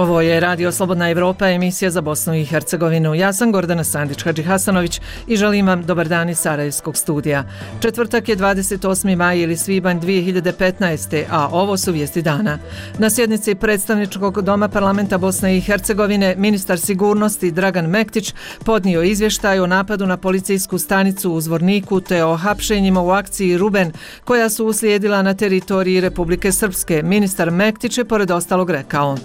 Ovo je Radio Slobodna Evropa, emisija za Bosnu i Hercegovinu. Ja sam Gordana Sandić-Hadžihasanović i želim vam dobar dan iz Sarajevskog studija. Četvrtak je 28. maj ili svibanj 2015. a ovo su vijesti dana. Na sjednici predstavničkog doma parlamenta Bosne i Hercegovine ministar sigurnosti Dragan Mektić podnio izvještaj o napadu na policijsku stanicu u Zvorniku te o hapšenjima u akciji Ruben koja su uslijedila na teritoriji Republike Srpske. Ministar Mektić je pored ostalog rekao: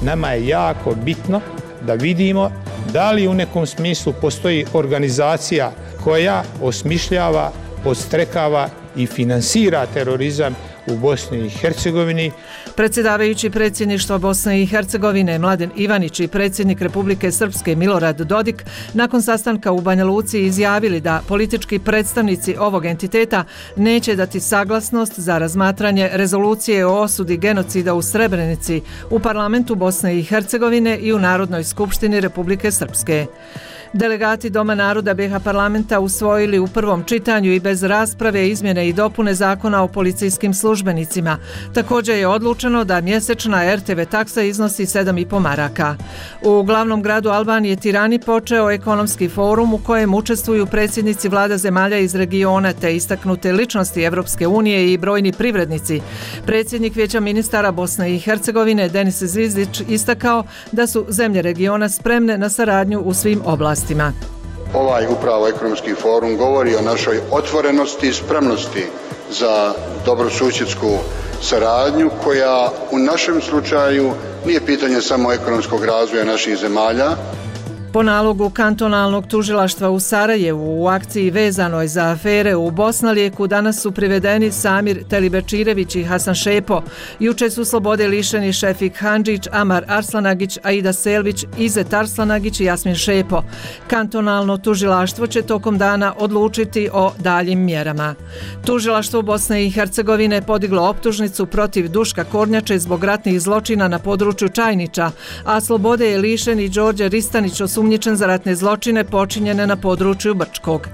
nama je jako bitno da vidimo da li u nekom smislu postoji organizacija koja osmišljava, podstrekava i finansira terorizam u Bosni i Hercegovini. Predsjedavajući predsjedništva Bosne i Hercegovine Mladen Ivanić i predsjednik Republike Srpske Milorad Dodik nakon sastanka u Banja Luci izjavili da politički predstavnici ovog entiteta neće dati saglasnost za razmatranje rezolucije o osudi genocida u Srebrenici u parlamentu Bosne i Hercegovine i u Narodnoj skupštini Republike Srpske. Delegati Doma naroda BiH parlamenta usvojili u prvom čitanju i bez rasprave izmjene i dopune zakona o policijskim službenicima. Također je odlučeno da mjesečna RTV taksa iznosi 7,5 maraka. U glavnom gradu Albanije Tirani počeo ekonomski forum u kojem učestvuju predsjednici vlada zemalja iz regiona te istaknute ličnosti Evropske unije i brojni privrednici. Predsjednik Vijeća ministara Bosne i Hercegovine Denis Zvizdić istakao da su zemlje regiona spremne na saradnju u svim oblastima. Ovaj upravo ekonomski forum govori o našoj otvorenosti i spremnosti za dobrosusjedsku saradnju koja u našem slučaju nije pitanje samo ekonomskog razvoja naših zemalja. Po nalogu kantonalnog tužilaštva u Sarajevu u akciji vezanoj za afere u Bosnalijeku danas su privedeni Samir Telibečirević i Hasan Šepo. Juče su slobode lišeni Šefik Handžić, Amar Arslanagić, Aida Selvić, Izet Arslanagić i Jasmin Šepo. Kantonalno tužilaštvo će tokom dana odlučiti o daljim mjerama. Tužilaštvo Bosne i Hercegovine podiglo optužnicu protiv Duška Kornjače zbog ratnih zločina na području Čajniča, a slobode je lišen i Đorđe Ristanić osumnjičen za ratne zločine počinjene na području Brčkog.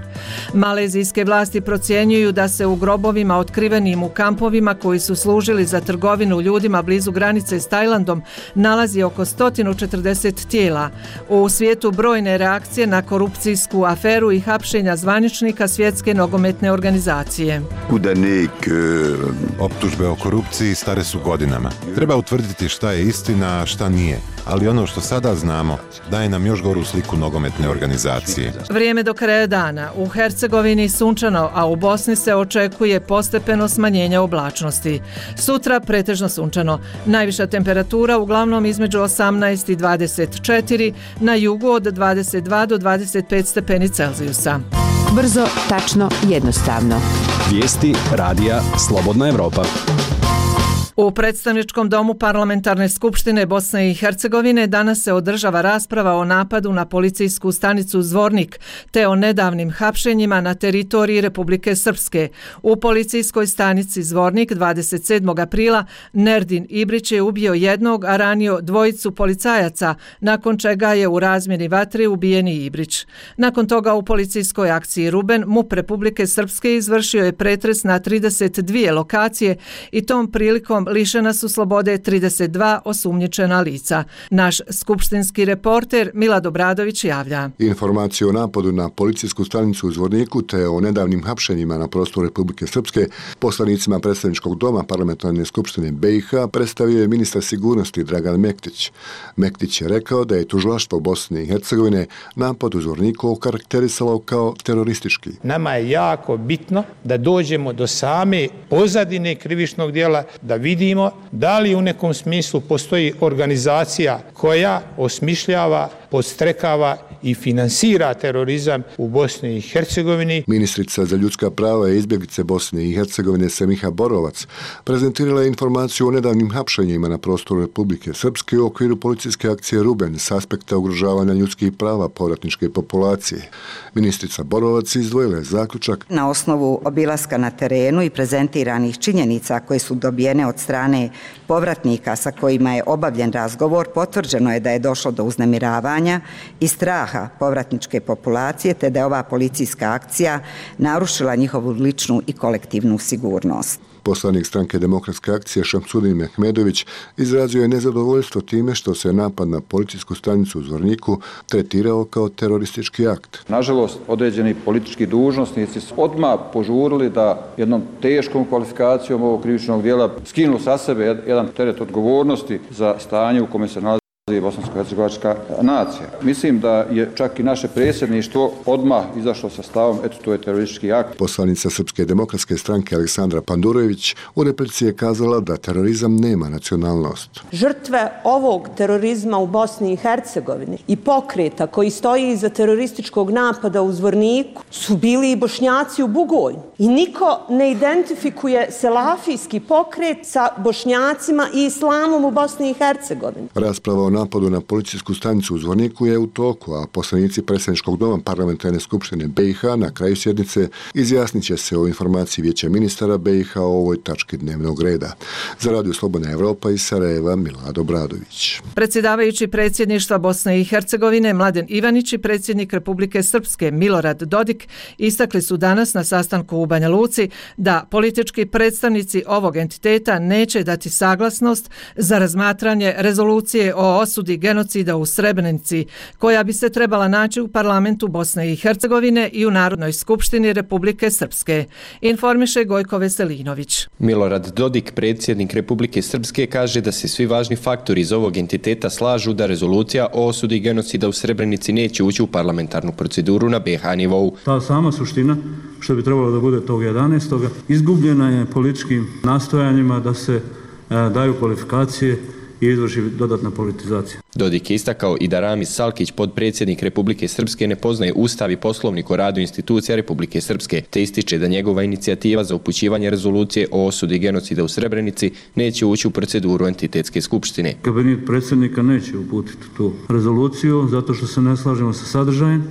Malezijske vlasti procjenjuju da se u grobovima otkrivenim u kampovima koji su služili za trgovinu ljudima blizu granice s Tajlandom nalazi oko 140 tijela. U svijetu brojne reakcije na korupcijsku aferu i hapšenja zvaničnika Svjetske nogometne organizacije. Optužbe o korupciji stare su godinama. Treba utvrditi šta je istina, a šta nije. Ali ono što sada znamo daje nam još goru sliku nogometne organizacije. Vrijeme do kraja dana. U Hercegovini sunčano, a u Bosni se očekuje postepeno smanjenje oblačnosti. Sutra pretežno sunčano. Najviša temperatura uglavnom između 18 i 24, na jugu od 22 do 25 stepeni Celzijusa. Brzo, tačno, jednostavno. Vijesti radija Slobodna Evropa. U predstavničkom domu Parlamentarne skupštine Bosne i Hercegovine danas se održava rasprava o napadu na policijsku stanicu Zvornik te o nedavnim hapšenjima na teritoriji Republike Srpske. U policijskoj stanici Zvornik 27. aprila Nerdin Ibrić je ubio jednog, a ranio dvojicu policajaca, nakon čega je u razmjeni vatre ubijen i Ibrić. Nakon toga u policijskoj akciji Ruben MUP Republike Srpske izvršio je pretres na 32 lokacije i tom prilikom lišena su slobode 32 osumnjičena lica. Naš skupštinski reporter Milad Obradović javlja. Informaciju o napadu na policijsku stanicu u Zvorniku te o nedavnim hapšenjima na prostoru Republike Srpske poslanicima predstavničkog doma Parlamentarne skupštine BiH predstavio je ministar sigurnosti Dragan Mektić. Mektić je rekao da je tužilaštvo Bosne i Hercegovine napad u Zvorniku okarakterisalo kao teroristički. Nama je jako bitno da dođemo do same pozadine krivičnog djela, da vidimo da li u nekom smislu postoji organizacija koja osmišljava, podstrekava i finansira terorizam u Bosni i Hercegovini. Ministrica za ljudska prava i izbjeglice Bosne i Hercegovine Semiha Borovac prezentirala je informaciju o nedavnim hapšenjima na prostoru Republike Srpske u okviru policijske akcije Ruben s aspekta ugrožavanja ljudskih prava povratničke populacije. Ministrica Borovac izdvojila je zaključak. Na osnovu obilaska na terenu i prezentiranih činjenica koje su dobijene od strane povratnika sa kojima je obavljen razgovor, potvrđeno je da je došlo do uznemiravanja i straha povratničke populacije, te da je ova policijska akcija narušila njihovu ličnu i kolektivnu sigurnost. Poslanik stranke Demokratske akcije Šamsudin Mehmedović izrazio je nezadovoljstvo time što se napad na policijsku stanicu u Zvorniku tretirao kao teroristički akt. Nažalost, određeni politički dužnosnici su odmah požurili da jednom teškom kvalifikacijom ovog krivičnog djela skinu sa sebe jedan teret odgovornosti za stanje u kome se nalazi bosansko-hercegovačka nacija. Mislim da je čak i naše predsjedništvo odmah izašlo sa stavom, eto, to je teroristički akt. Poslanica Srpske demokratske stranke Aleksandra Pandurović u replici je kazala da terorizam nema nacionalnost. Žrtve ovog terorizma u Bosni i Hercegovini i pokreta koji stoji iza terorističkog napada u Zvorniku su bili i Bošnjaci u Bugojnu. I niko ne identifikuje selafijski pokret sa Bošnjacima i islamom u Bosni i Hercegovini. Rasprava o napadu na policijsku stanicu u Zvorniku je u toku, a poslanici predsjedničkog doma parlamentarne skupštine BiH na kraju sjednice izjasnit će se o informaciji Vijeća ministara BiH o ovoj tački dnevnog reda. Za Radio Slobodna Evropa iz Sarajeva, Milad Obradović. Predsjedavajući predsjedništva Bosne i Hercegovine Mladen Ivanić i predsjednik Republike Srpske Milorad Dodik istakli su danas na sastanku u Banja Luci da politički predstavnici ovog entiteta neće dati saglasnost za razmatranje rezolucije o osudi genocida u Srebrenici, koja bi se trebala naći u parlamentu Bosne i Hercegovine i u Narodnoj skupštini Republike Srpske, informiše Gojko Veselinović. Milorad Dodik, predsjednik Republike Srpske, kaže da se svi važni faktori iz ovog entiteta slažu da rezolucija o osudi genocida u Srebrenici neće ući u parlamentarnu proceduru na BiH nivou. Ta sama suština, što bi trebalo da bude tog 11. izgubljena je političkim nastojanjima da se daju kvalifikacije i izvrši dodatna politizacija. Dodik je istakao i da Ramiz Salkić, podpredsjednik Republike Srpske, ne poznaje Ustav i Poslovnik o radu institucija Republike Srpske, te ističe da njegova inicijativa za upućivanje rezolucije o osudi genocida u Srebrenici neće ući u proceduru entitetske skupštine. Kabinet predsjednika neće uputiti tu rezoluciju zato što se ne slažemo sa sadržajem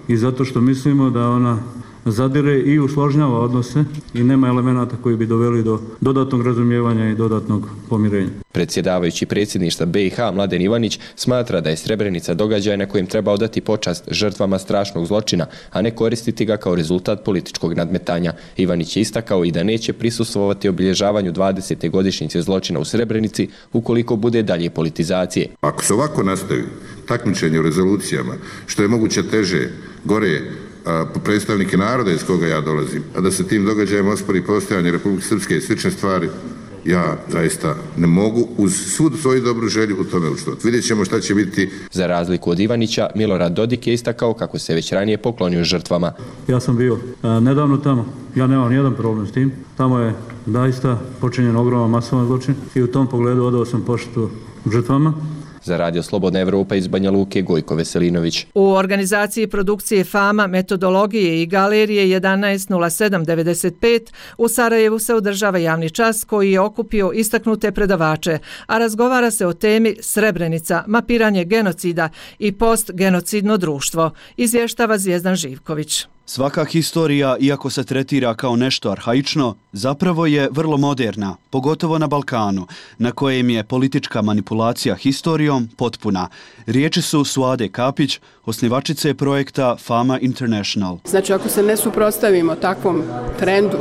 i zato što mislimo da ona zadire i usložnjava odnose i nema elemenata koji bi doveli do dodatnog razumijevanja i dodatnog pomirenja. Predsjedavajući predsjedništva BiH Mladen Ivanić smatra da je Srebrenica događaj na kojem treba odati počast žrtvama strašnog zločina, a ne koristiti ga kao rezultat političkog nadmetanja. Ivanić je istakao i da neće prisustvovati obilježavanju 20. godišnjice zločina u Srebrenici ukoliko bude dalje politizacije. Ako se ovako nastavi takmičenje u rezolucijama, što je moguće teže, gore, po predstavnike naroda iz koga ja dolazim, a da se tim događajem ospori postojanje Republike Srpske i slične stvari, ja zaista ne mogu uz svu svoju dobru želju u tome učestvovati. Vidjet ćemo šta će biti. Za razliku od Ivanića, Milorad Dodik je istakao kako se već ranije poklonio žrtvama. Ja sam bio nedavno tamo, ja nemam nijedan problem s tim. Tamo je zaista počinjen ogroman masovan zločin i u tom pogledu odao sam poštu žrtvama. Za Radio Slobodna Evropa iz Banja Luke, Gojko Veselinović. U organizaciji produkcije FAMA, metodologije i galerije 11.07.95 u Sarajevu se održava javni čas koji je okupio istaknute predavače, a razgovara se o temi Srebrenica, mapiranje genocida i postgenocidno društvo, izvještava Zvijezdan Živković. Svaka historija, iako se tretira kao nešto arhaično, zapravo je vrlo moderna, pogotovo na Balkanu, na kojem je politička manipulacija historijom potpuna. Riječi su Suade Kapić, osnivačice projekta FAMA International. Znači, ako se ne suprotstavimo takvom trendu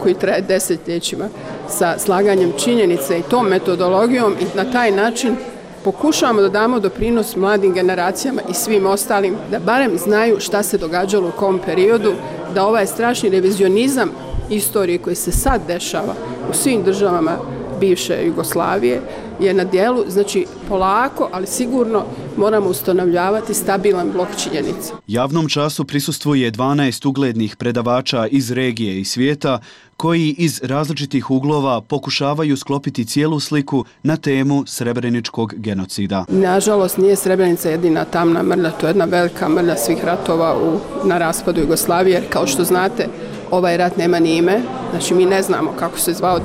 koji traje desetljećima sa slaganjem činjenice i tom metodologijom i na taj način pokušavamo da damo doprinos mladim generacijama i svim ostalim da barem znaju šta se događalo u kom periodu, da ovaj strašni revizionizam istorije koji se sad dešava u svim državama bivše Jugoslavije je na dijelu, znači polako, ali sigurno moramo ustanovljavati stabilan blok činjenica. Javnom času prisustvuje 12 uglednih predavača iz regije i svijeta koji iz različitih uglova pokušavaju sklopiti cijelu sliku na temu srebreničkog genocida. Nažalost, nije Srebrenica jedina tamna mrlja, to je jedna velika mrlja svih ratova na raspadu Jugoslavije, jer kao što znate, ovaj rat nema ni ime, znači mi ne znamo kako se zvao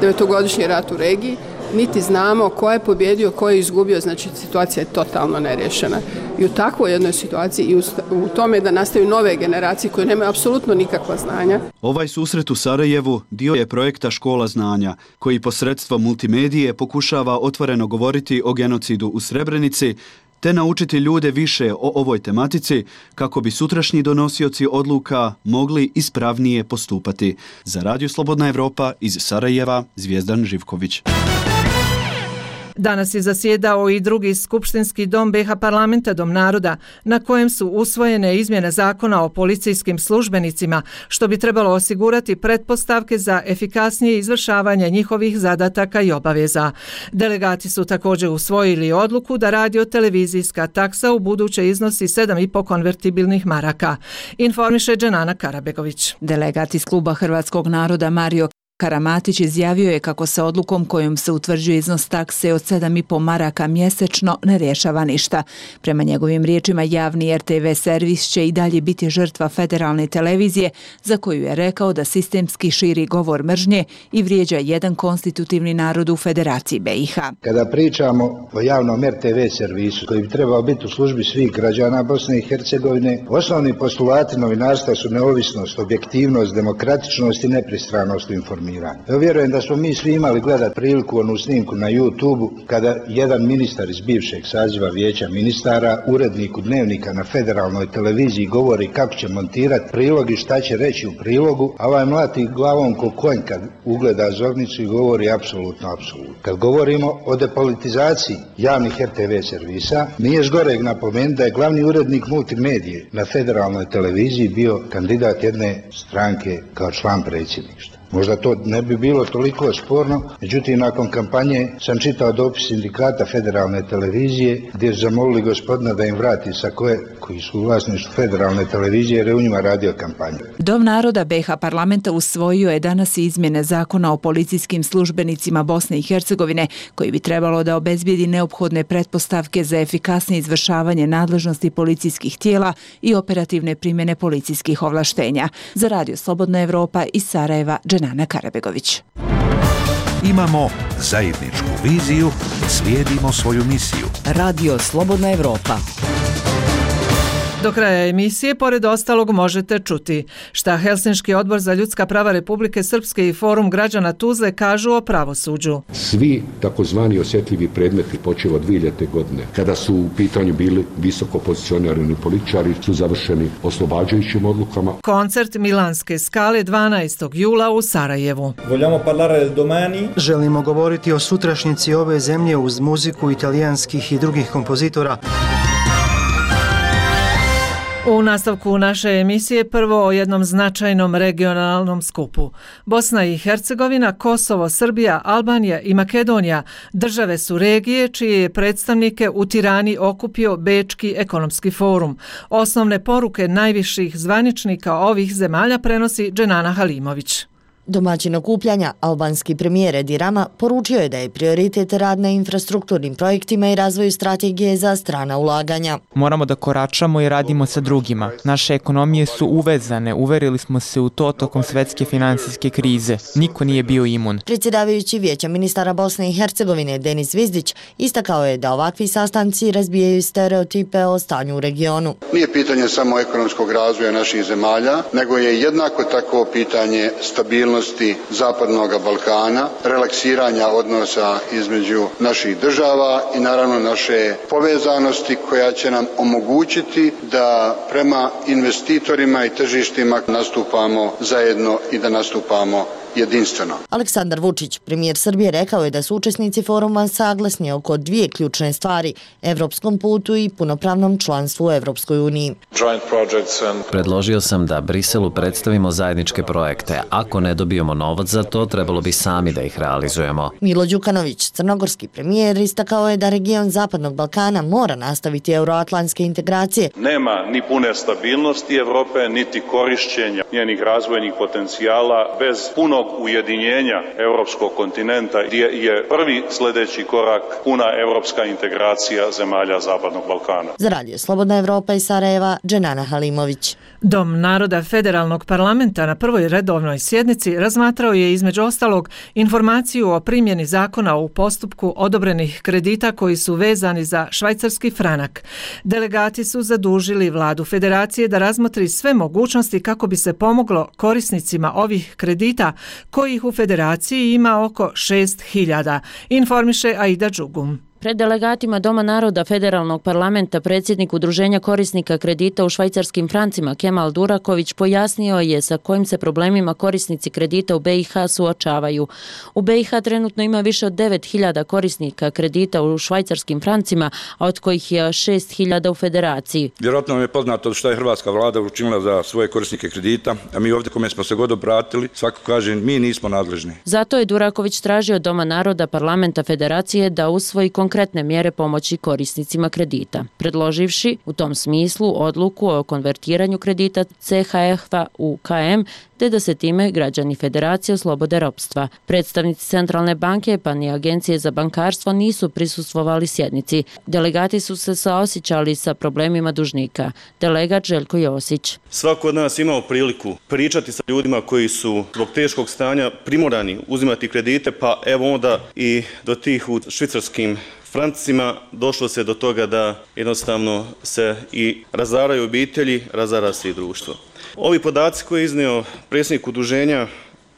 9-godišnji rat u regiji, niti znamo ko je pobjedio, ko je izgubio, znači situacija je totalno nerješena. I u takvoj jednoj situaciji i u tome da nastaju nove generacije koje nemaju apsolutno nikakva znanja. Ovaj susret u Sarajevu dio je projekta Škola znanja, koji posredstvom multimedije pokušava otvoreno govoriti o genocidu u Srebrenici, te naučiti ljude više o ovoj tematici kako bi sutrašnji donosioci odluka mogli ispravnije postupati. Za Radio Slobodna Evropa iz Sarajeva, Zvijezdan Živković. Danas je zasjedao i drugi skupštinski dom BiH parlamenta, Dom naroda, na kojem su usvojene izmjene zakona o policijskim službenicima, što bi trebalo osigurati pretpostavke za efikasnije izvršavanje njihovih zadataka i obaveza. Delegati su također usvojili odluku da radio-televizijska taksa u buduće iznosi 7,5 konvertibilnih maraka. Informiše Dženana Karabegović. Delegat iz kluba Hrvatskog naroda Mario Karamatić izjavio je kako se odlukom kojom se utvrđuje iznos takse od 7,5 maraka mjesečno ne rješava ništa. Prema njegovim riječima, javni RTV servis će i dalje biti žrtva federalne televizije, za koju je rekao da sistemski širi govor mržnje i vrijeđa jedan konstitutivni narod u Federaciji BiH. Kada pričamo o javnom RTV servisu koji bi trebao biti u službi svih građana Bosne i Hercegovine, osnovni postulati novinarstva su neovisnost, objektivnost, demokratičnost i nepristranost u informiranju. Ja vjerujem da smo mi svi imali gledati priliku onu snimku na YouTube-u kada jedan ministar iz bivšeg saziva vijeća ministara uredniku Dnevnika na federalnoj televiziji govori kako će montirati prilog i šta će reći u prilogu, a ovaj mlati glavom ko konj kad ugleda zornicu i govori apsolutno. Kad govorimo o depolitizaciji javnih RTV servisa, nije zgoreg napomenuti da je glavni urednik multimedije na federalnoj televiziji bio kandidat jedne stranke kao član predsjedništva. Možda to ne bi bilo toliko sporno, međutim nakon kampanje sam čitao dopis sindikata federalne televizije gdje su zamolili gospodina da im vrati koji su u vlasništvu federalne televizije jer je u njima radio kampanju. Dom naroda BiH parlamenta usvojio je danas izmjene zakona o policijskim službenicima Bosne i Hercegovine koji bi trebalo da obezbijedi neophodne pretpostavke za efikasnije izvršavanje nadležnosti policijskih tijela i operativne primjene policijskih ovlaštenja. Za Radio Slobodna Evropa iz Sarajeva, Dženana Karabegović. Imamo zajedničku viziju, slijedimo svoju misiju. Radio Slobodna Evropa. Do kraja emisije, pored ostalog, možete čuti šta Helsinški odbor za ljudska prava Republike Srpske i Forum građana Tuzle kažu o pravosuđu. Svi takozvani osjetljivi predmeti počeo od 2000. godine, kada su u pitanju bili visoko pozicionirani političari, su završeni oslobađajućim odlukama. Koncert Milanske skale 12. jula u Sarajevu. Želimo govoriti o sutrašnjici ove zemlje uz muziku italijanskih i drugih kompozitora. U nastavku naše emisije prvo o jednom značajnom regionalnom skupu. Bosna i Hercegovina, Kosovo, Srbija, Albanija i Makedonija države su regije čije je predstavnike u Tirani okupio Bečki ekonomski forum. Osnovne poruke najviših zvaničnika ovih zemalja prenosi Dženana Halimović. Domaćin okupljanja, albanski premijer Edi Rama, poručio je da je prioritet rad na infrastrukturnim projektima i razvoju strategije za strana ulaganja. Moramo da koračamo i radimo sa drugima. Naše ekonomije su uvezane, uverili smo se u to tokom svetske finansijske krize. Niko nije bio imun. Predsjedavajući Vijeća ministara Bosne i Hercegovine Denis Zvizdić istakao je da ovakvi sastanci razbijaju stereotipe o stanju u regionu. Nije pitanje samo ekonomskog razvoja naših zemalja, nego je jednako tako pitanje stabilnosti Zapadnog Balkana, relaksiranja odnosa između naših država i naravno naše povezanosti koja će nam omogućiti da prema investitorima i tržištima nastupamo zajedno i da nastupamo jedinstveno. Aleksandar Vučić, premijer Srbije, rekao je da su učesnici foruma saglasni oko dvije ključne stvari: evropskom putu i punopravnom članstvu u Evropskoj uniji. Predložio sam da Briselu predstavimo zajedničke projekte. Ako ne dobijemo novac za to, trebalo bi sami da ih realizujemo. Milo Đukanović, crnogorski premijer, istakao je da region Zapadnog Balkana mora nastaviti euroatlantske integracije. Nema ni pune stabilnosti Evrope, niti korišćenja njenih razvojnih potencijala bez punog ujedinjenja evropskog kontinenta, gdje je prvi sljedeći korak puna evropska integracija zemalja Zapadnog Balkana. Za Radio Slobodna Evropa iz Sarajeva, Dženana Halimović. Dom naroda Federalnog parlamenta na prvoj redovnoj sjednici razmatrao je između ostalog informaciju o primjeni zakona u postupku odobrenih kredita koji su vezani za švajcarski franak. Delegati su zadužili vladu federacije da razmotri sve mogućnosti kako bi se pomoglo korisnicima ovih kredita kojih u federaciji ima oko 6.000, informiše Aida Đugum. Pred delegatima Doma naroda Federalnog parlamenta predsjednik Udruženja korisnika kredita u švajcarskim francima Kemal Duraković pojasnio je sa kojim se problemima korisnici kredita u BiH suočavaju. U BiH trenutno ima više od 9.000 korisnika kredita u švajcarskim francima, a od kojih je 6.000 u federaciji. Vjerojatno vam je poznato šta je hrvatska vlada učinila za svoje korisnike kredita, a mi ovdje kome smo se god obratili, svako kaže mi nismo nadležni. Zato je Duraković tražio od Doma naroda parlamenta federacije da usvoji konkretne mjere pomoći korisnicima kredita, predloživši u tom smislu odluku o konvertiranju kredita CHF-a u KM, te da se time građani federacije oslobode ropstva. Predstavnici Centralne banke pa ni Agencije za bankarstvo nisu prisustvovali sjednici. Delegati su se saosjećali sa problemima dužnika. Delegat Željko Josić. Svako od nas imao priliku pričati sa ljudima koji su zbog teškog stanja primorani uzimati kredite, pa evo onda i do tih u švicarskim francima došlo se do toga da jednostavno se i razaraju obitelji, razara se i društvo. Ovi podaci koje je iznio predsjednik udruženja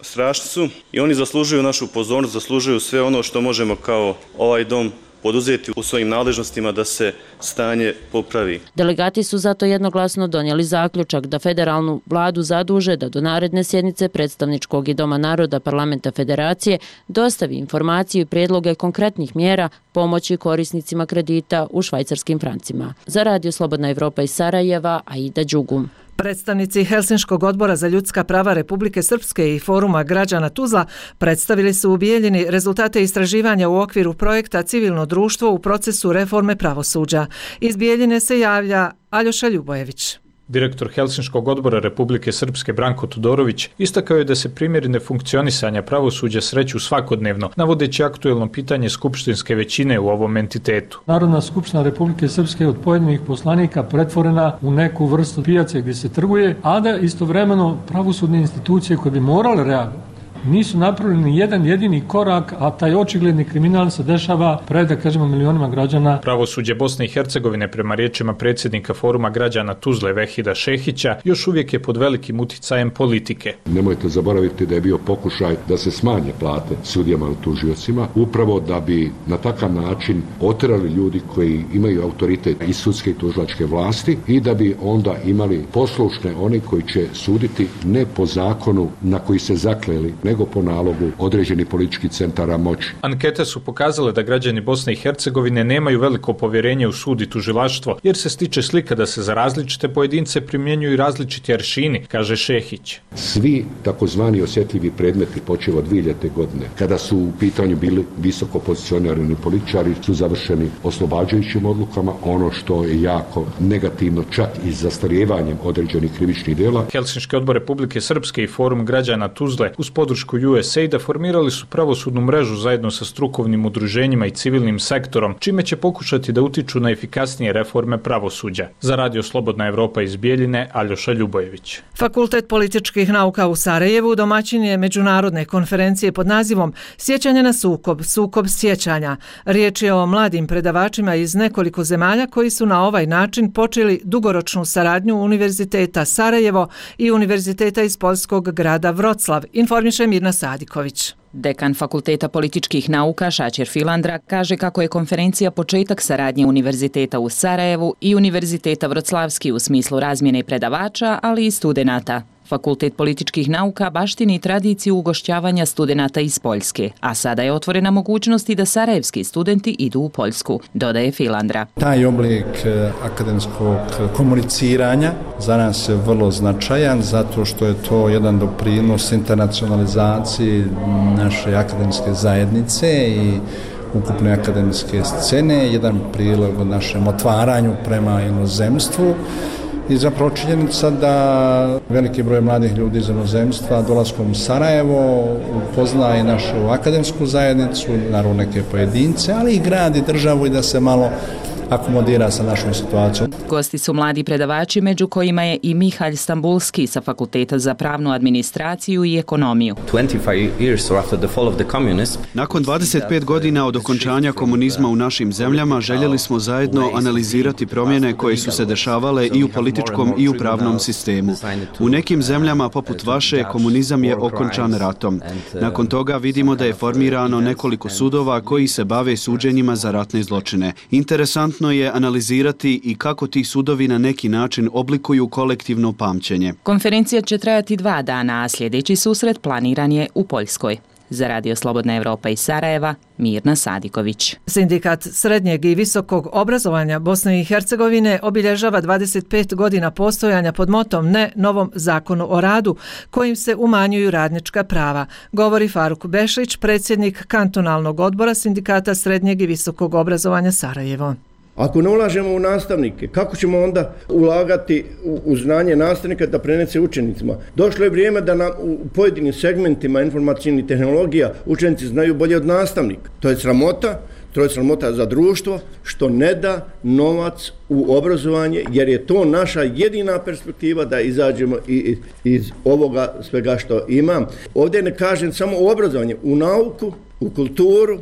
strašni su i oni zaslužuju našu pozornost, zaslužuju sve ono što možemo kao ovaj dom poduzeti u svojim nadležnostima da se stanje popravi. Delegati su zato jednoglasno donijeli zaključak da federalnu vladu zaduže da do naredne sjednice predstavničkog i Doma naroda parlamenta federacije dostavi informaciju i prijedloge konkretnih mjera pomoći korisnicima kredita u švajcarskim francima. Za Radio Slobodna Evropa iz Sarajeva, Aida Đugum. Predstavnici Helsinškog odbora za ljudska prava Republike Srpske i Foruma građana Tuzla predstavili su u Bijeljini rezultate istraživanja u okviru projekta Civilno društvo u procesu reforme pravosuđa. Iz Bijeljine se javlja Aljoša Ljubojević. Direktor Helsinškog odbora Republike Srpske Branko Todorović istakao je da se primjeri nefunkcionisanja pravosuđa sreću svakodnevno, navodeći aktuelno pitanje skupštinske većine u ovom entitetu. Narodna skupština Republike Srpske je od pojedinih poslanika pretvorena u neku vrstu pijace gdje se trguje, a da istovremeno pravosudne institucije koje bi morale reagovati nisu napravili ni jedan jedini korak, a taj očigledni kriminal se dešava pred, da kažemo, milionima građana. Pravosuđe Bosne i Hercegovine, prema riječima predsjednika Foruma građana Tuzle Vehida Šehića, još uvijek je pod velikim uticajem politike. Nemojte zaboraviti da je bio pokušaj da se smanje plate sudijama i tužiocima, upravo da bi na takav način oterali ljudi koji imaju autoritet iz sudske i tužilačke vlasti i da bi onda imali poslušne oni koji će suditi ne po zakonu na koji se zakleli, nego po nalogu određenih političkih centara moći. Ankete su pokazale da građani Bosne i Hercegovine nemaju veliko povjerenje u sud i tužilaštvo, jer se stiče slika da se za različite pojedince primjenjuju različiti aršini, kaže Šehić. Svi takozvani osjetljivi predmeti počev od 2000. godine, kada su u pitanju bili visoko pozicionirani političari, su završeni oslobađajućim odlukama, ono što je jako negativno, čak i zastarijevanjem određenih krivičnih djela. Helsinški odbor Republike Srpske i Forum građana Tuzle uz podršku USAID-a formirali su pravosudnu mrežu zajedno sa strukovnim udruženjima i civilnim sektorom, čime će pokušati da utiču na efikasnije reforme pravosuđa. Za Radio Slobodna Evropa iz Bijeljine, Aljoša Ljubojević. Fakultet političkih nauka u Sarajevu domaćin je međunarodne konferencije pod nazivom Sjećanje na sukob, sukob sjećanja. Riječ je o mladim predavačima iz nekoliko zemalja koji su na ovaj način počeli dugoročnu saradnju Univerziteta Sarajevo i Univerziteta iz poljskog grada Vroclav, informiše Mirna Sadiković. Dekan Fakulteta političkih nauka Šačer Filandra kaže kako je konferencija početak saradnje Univerziteta u Sarajevu i Univerziteta Vroclavski u smislu razmjene predavača, ali i studenata. Fakultet političkih nauka baštini tradiciju ugošćavanja studenata iz Poljske, a sada je otvorena mogućnost i da sarajevski studenti idu u Poljsku, dodaje Filandra. Taj oblik akademskog komuniciranja za nas je vrlo značajan zato što je to jedan doprinos internacionalizaciji naše akademske zajednice i ukupne akademske scene, jedan prilog o našem otvaranju prema inozemstvu. I zapravo činjenica da veliki broj mladih ljudi iz inozemstva dolaskom u Sarajevo upoznaje našu akademsku zajednicu, naravno neke pojedince, ali i grad i državu i da se malo akomodira sa našom situacijom. Gosti su mladi predavači, među kojima je i Mihalj Stambulski sa Fakulteta za pravnu administraciju i ekonomiju. Nakon 25 godina od okončanja komunizma u našim zemljama željeli smo zajedno analizirati promjene koje su se dešavale i u političkom i u pravnom sistemu. U nekim zemljama poput vaše komunizam je okončan ratom. Nakon toga vidimo da je formirano nekoliko sudova koji se bave suđenjima za ratne zločine. Interesantno je analizirati i kako ti sudovi na neki način oblikuju kolektivno pamćenje. Konferencija će trajati 2 dana, a sljedeći susret planiran je u Poljskoj. Za Radio Slobodna Evropa iz Sarajeva, Mirna Sadiković. Sindikat srednjeg i visokog obrazovanja Bosne i Hercegovine obilježava 25 godina postojanja pod motom ne novom zakonu o radu, kojim se umanjuju radnička prava, govori Faruk Bešlić, predsjednik kantonalnog odbora Sindikata srednjeg i visokog obrazovanja Sarajevo. Ako ne ulažemo u nastavnike, kako ćemo onda ulagati u znanje nastavnika da prenese učenicima? Došlo je vrijeme da nam u pojedinim segmentima informacijnih tehnologija učenici znaju bolje od nastavnika. To je sramota za društvo što ne da novac u obrazovanje, jer je to naša jedina perspektiva da izađemo iz ovoga svega što imam. Ovdje ne kažem samo u obrazovanje, u nauku, u kulturu.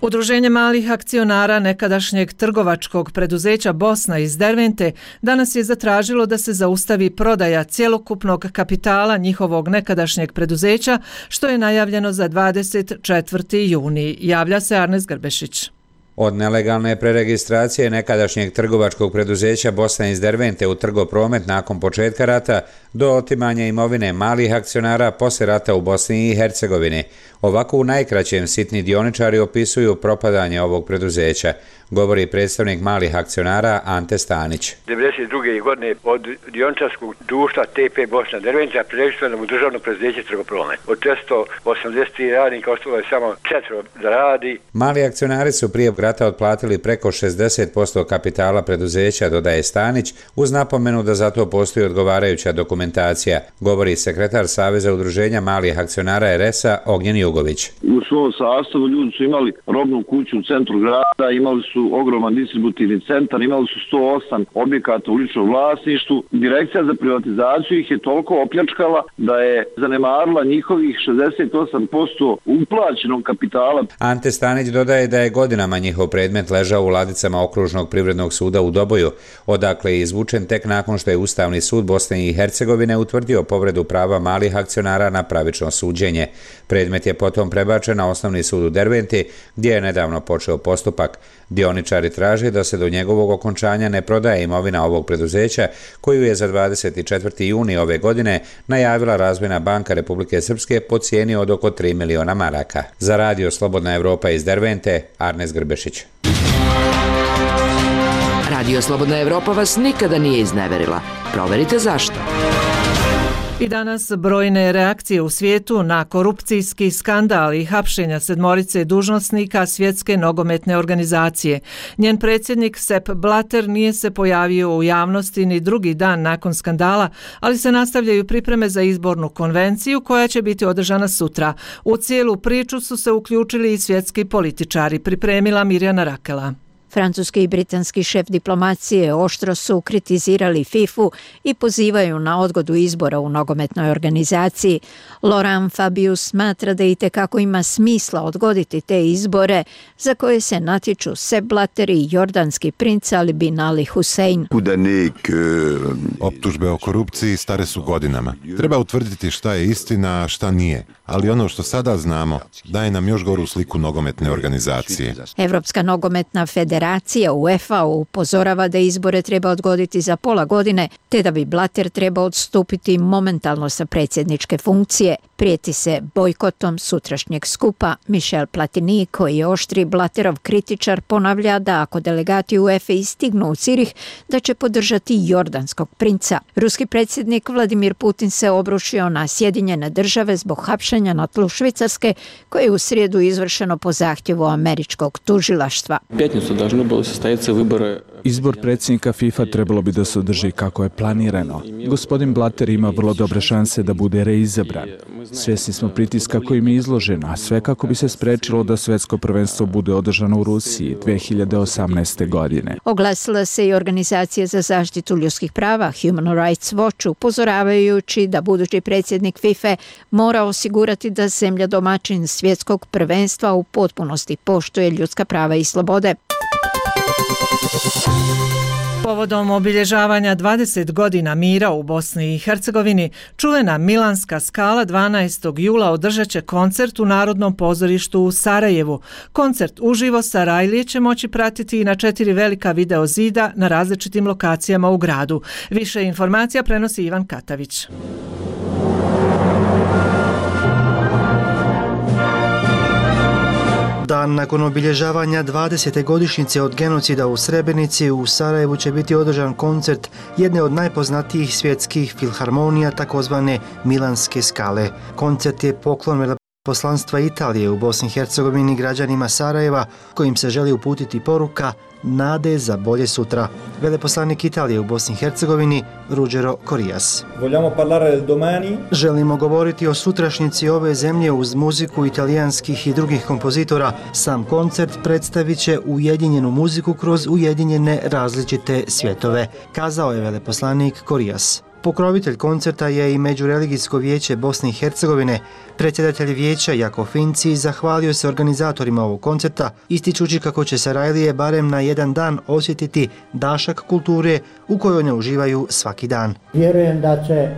Udruženje malih akcionara nekadašnjeg trgovačkog preduzeća Bosna iz Dervente danas je zatražilo da se zaustavi prodaja cjelokupnog kapitala njihovog nekadašnjeg preduzeća, što je najavljeno za 24. juni. Javlja se Arnes Grbešić. Od nelegalne preregistracije nekadašnjeg trgovačkog preduzeća Bosna iz Dervente u Trgopromet nakon početka rata do otimanja imovine malih akcionara poslije rata u Bosni i Hercegovini. Ovako u najkraćem sitni dioničari opisuju propadanje ovog preduzeća, govori predstavnik malih akcionara Ante Stanić. 1992. godine od dioničarskog društva TP Bosna Derventa preregistrovano u državno preduzeće Trgopromet. Od 480 radnika ostalo je samo 4 da radi. Mali akcionari su prije rata otplatili preko 60% kapitala preduzeća, dodaje Stanić, uz napomenu da za to postoji odgovarajuća dokumentacija, govori sekretar Saveza udruženja malih akcionara RS-a Ognjen Jugović. U svom sastavu ljudi su imali robnu kuću u centru grada, imali su ogroman distributivni centar, imali su 108 objekata u ličnom vlasništvu. Direkcija za privatizaciju ih je toliko opljačkala da je zanemarila njihovih 68% uplaćenog kapitala. Ante Stanić dodaje da je godinama njihov predmet ležao u ladicama Okružnog privrednog suda u Doboju, odakle je izvučen tek nakon što je Ustavni sud Bosne i Hercegovine utvrdio povredu prava malih akcionara na pravično suđenje. Predmet je potom prebačen na Osnovni sud u Derventi, gdje je nedavno počeo postupak. Dioničari traže da se do njegovog okončanja ne prodaje imovina ovog preduzeća, koju je za 24. juni ove godine najavila Razvojna banka Republike Srpske po cijeni od oko 3 miliona maraka. Za Radio Slobodna Evropa iz Dervente, Arnes Grbešić. Radio Slobodna Evropa vas nikada nije izneverila. Proverite zašto. I danas brojne reakcije u svijetu na korupcijski skandal i hapšenja 7 dužnosnika Svjetske nogometne organizacije. Njen predsjednik Sepp Blatter nije se pojavio u javnosti ni drugi dan nakon skandala, ali se nastavljaju pripreme za izbornu konvenciju koja će biti održana sutra. U cijelu priču su se uključili i svjetski političari, pripremila Mirjana Rakela. Francuski i britanski šef diplomacije oštro su kritizirali FIFA-u i pozivaju na odgodu izbora u nogometnoj organizaciji. Laurent Fabius smatra da itekako ima smisla odgoditi te izbore za koje se natječu Sepp Blatter i jordanski princ Ali bin Ali Hussein. Optužbe o korupciji stare su godinama. Treba utvrditi šta je istina, a šta nije. Ali ono što sada znamo daje nam još goru sliku nogometne organizacije. Evropska nogometna federacija UEFA upozorava da izbore treba odgoditi za pola godine, te da bi Blatter trebao odstupiti momentalno sa predsjedničke funkcije. Prijeti se bojkotom sutrašnjeg skupa. Michel Platini, koji je oštri Blatterov kritičar, ponavlja da ako delegati UEFA stignu u Cirih, da će podržati jordanskog princa. Ruski predsjednik Vladimir Putin se obrušio na Sjedinjene države zbog hapšenja na tlu Švicarske, koje je u srijedu izvršeno po zahtjevu američkog tužilaštva. Izbor predsjednika FIFA trebalo bi da se održi kako je planirano. Gospodin Blatter ima vrlo dobre šanse da bude reizabran. Svjesni smo pritiska kojim je izložen, a sve kako bi se sprečilo da svjetsko prvenstvo bude održano u Rusiji 2018. godine. Oglasila se i Organizacija za zaštitu ljudskih prava Human Rights Watch, upozoravajući da budući predsjednik FIFA mora osigurati da zemlja domaćin svjetskog prvenstva u potpunosti poštuje ljudska prava i slobode. Povodom obilježavanja 20 godina mira u Bosni i Hercegovini, čuvena Milanska skala 12. jula održat će koncert u Narodnom pozorištu u Sarajevu. Koncert uživo Sarajlije će moći pratiti i na 4 velika video zida na različitim lokacijama u gradu. Više informacija prenosi Ivan Katavić. Dan nakon obilježavanja 20. godišnjice od genocida u Srebrenici, u Sarajevu će biti održan koncert jedne od najpoznatijih svjetskih filharmonija, takozvane Milanske skale. Koncert je poklon veleposlanstva Italije u Bosni i Hercegovini građanima Sarajeva, kojim se želi uputiti poruka nade za bolje sutra. Veleposlanik Italije u Bosni i Hercegovini Ruggero Corrias. Želimo govoriti o sutrašnjici ove zemlje uz muziku italijanskih i drugih kompozitora. Sam koncert predstavit će ujedinjenu muziku kroz ujedinjene različite svjetove, kazao je veleposlanik Corrias. Pokrovitelj koncerta je i Međureligijsko vijeće Bosne i Hercegovine. Predsjedatelj vijeća Jako Finci zahvalio se organizatorima ovog koncerta, ističući kako će Sarajlije barem na jedan dan osjetiti dašak kulture u kojoj ne uživaju svaki dan. Vjerujem da će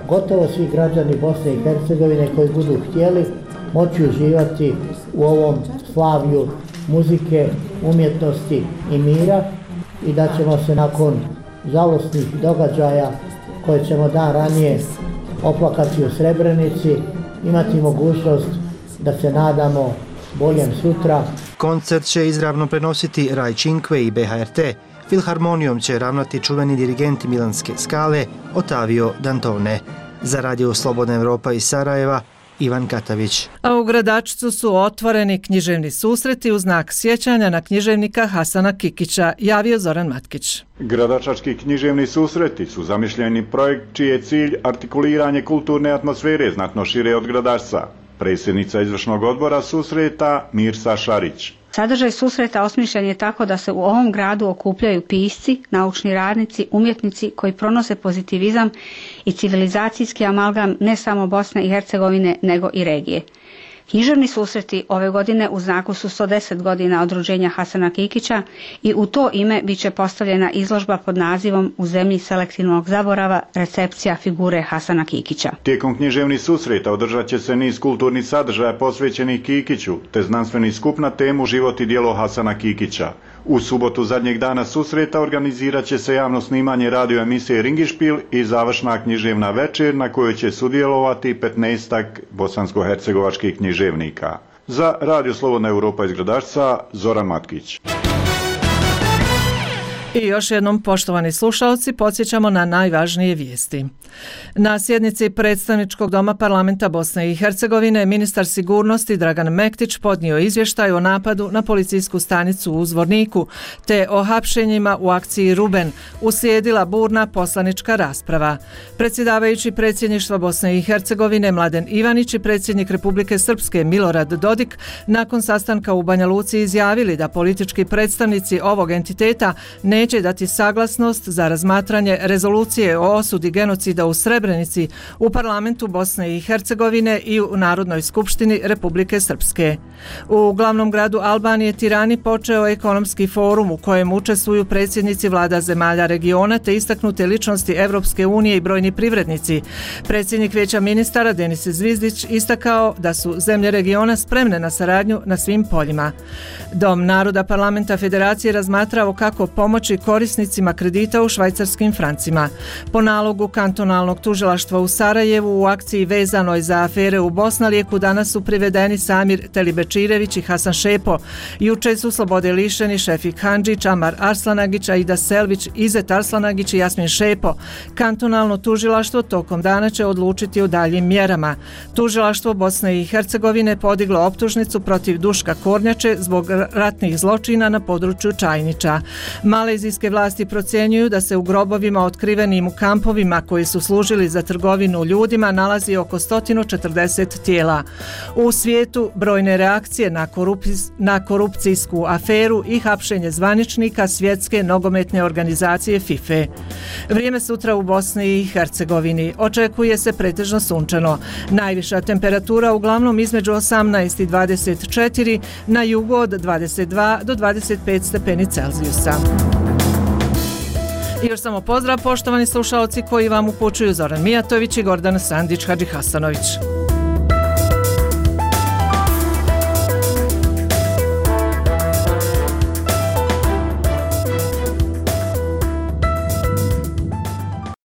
gotovo svi građani Bosne i Hercegovine koji budu htjeli moći uživati u ovom slavlju muzike, umjetnosti i mira i da ćemo se nakon žalosnih događaja koje ćemo dan ranije oplakati u Srebrenici, imati mogućnost da se nadamo boljem sutra. Koncert će izravno prenositi Rai Cinque i BHRT. Filharmonijom će ravnati čuveni dirigent Milanske skale Ottavio Dantone. Za Radio Slobodna Evropa iz Sarajeva, Ivan Katavić. A u Gradačcu su otvoreni književni susreti u znak sjećanja na književnika Hasana Kikića, javio Zoran Matkić. Gradačački književni susreti su zamišljeni projekt čiji je cilj artikuliranje kulturne atmosfere znatno šire od Gradačca. Predsjednica izvršnog odbora susreta Mirsa Šarić. Sadržaj susreta osmišljen je tako da se u ovom gradu okupljaju pisci, naučni radnici, umjetnici koji pronose pozitivizam i civilizacijski amalgam ne samo Bosne i Hercegovine nego i regije. Književni susreti ove godine u znaku su 110 godina od rođenja Hasana Kikića i u to ime bit će postavljena izložba pod nazivom U zemlji selektivnog zaborava, recepcija figure Hasana Kikića. Tijekom književnih susreta održat će se niz kulturnih sadržaja posvećenih Kikiću, te znanstveni skup na temu Život i djelo Hasana Kikića. U subotu zadnjeg dana susreta organizirat će se javno snimanje radio emisije Ringišpil i završna književna večer na kojoj će sudjelovati 15-ak bosansko-hercegovačkih književnika. Za Radio Slobodna Evropa iz Gradačca, Zoran Matkić. I još jednom, poštovani slušalci, podsjećamo na najvažnije vijesti. Na sjednici Predstavničkog doma parlamenta Bosne i Hercegovine ministar sigurnosti Dragan Mektić podnio izvještaj o napadu na policijsku stanicu u Zvorniku te o hapšenjima u akciji Ruben. Uslijedila burna poslanička rasprava. Predsjedavajući predsjedništva Bosne i Hercegovine Mladen Ivanić i predsjednik Republike Srpske Milorad Dodik nakon sastanka u Banja Luci izjavili da politički predstavnici ovog entiteta neće dati saglasnost za razmatranje rezolucije o osudi genocida u Srebrenici u parlamentu Bosne i Hercegovine i u Narodnoj skupštini Republike Srpske. U glavnom gradu Albanije Tirani počeo ekonomski forum u kojem učestvuju predsjednici vlada zemalja regiona te istaknute ličnosti Evropske unije i brojni privrednici. Predsjednik Vijeća ministara Denis Zvizdić istakao da su zemlje regiona spremne na saradnju na svim poljima. Dom naroda parlamenta Federacije razmatrao kako pomoći korisnicima kredita u švajcarskim francima. Po nalogu kantonalnog tužilaštva u Sarajevu u akciji vezanoj za afere u Bosnalijeku danas su privedeni Samir Telibečirević i Hasan Šepo. Juče su slobode lišeni Šefik Handžić, Amar Arslanagić, Aida Selvić, Izet Arslanagić i Jasmin Šepo. Kantonalno tužilaštvo tokom dana će odlučiti o daljim mjerama. Tužilaštvo Bosne i Hercegovine podiglo optužnicu protiv Duška Kornjače zbog ratnih zločina na području Čajniča. Malezijski malezijske vlasti procjenjuju da se u grobovima otkrivenim u kampovima koji su služili za trgovinu ljudima nalazi oko 140 tijela. U svijetu brojne reakcije na korupcijsku aferu i hapšenje zvaničnika Svjetske nogometne organizacije FIFA. Vrijeme sutra u Bosni i Hercegovini. Očekuje se pretežno sunčano. Najviša temperatura uglavnom između 18 i 24, na jugu od 22 do 25 stepeni Celzijusa. I još samo pozdrav, poštovani slušaoci koji vam upućuju Zoran Mijatović i Gordana Sandić Hadžihasanović.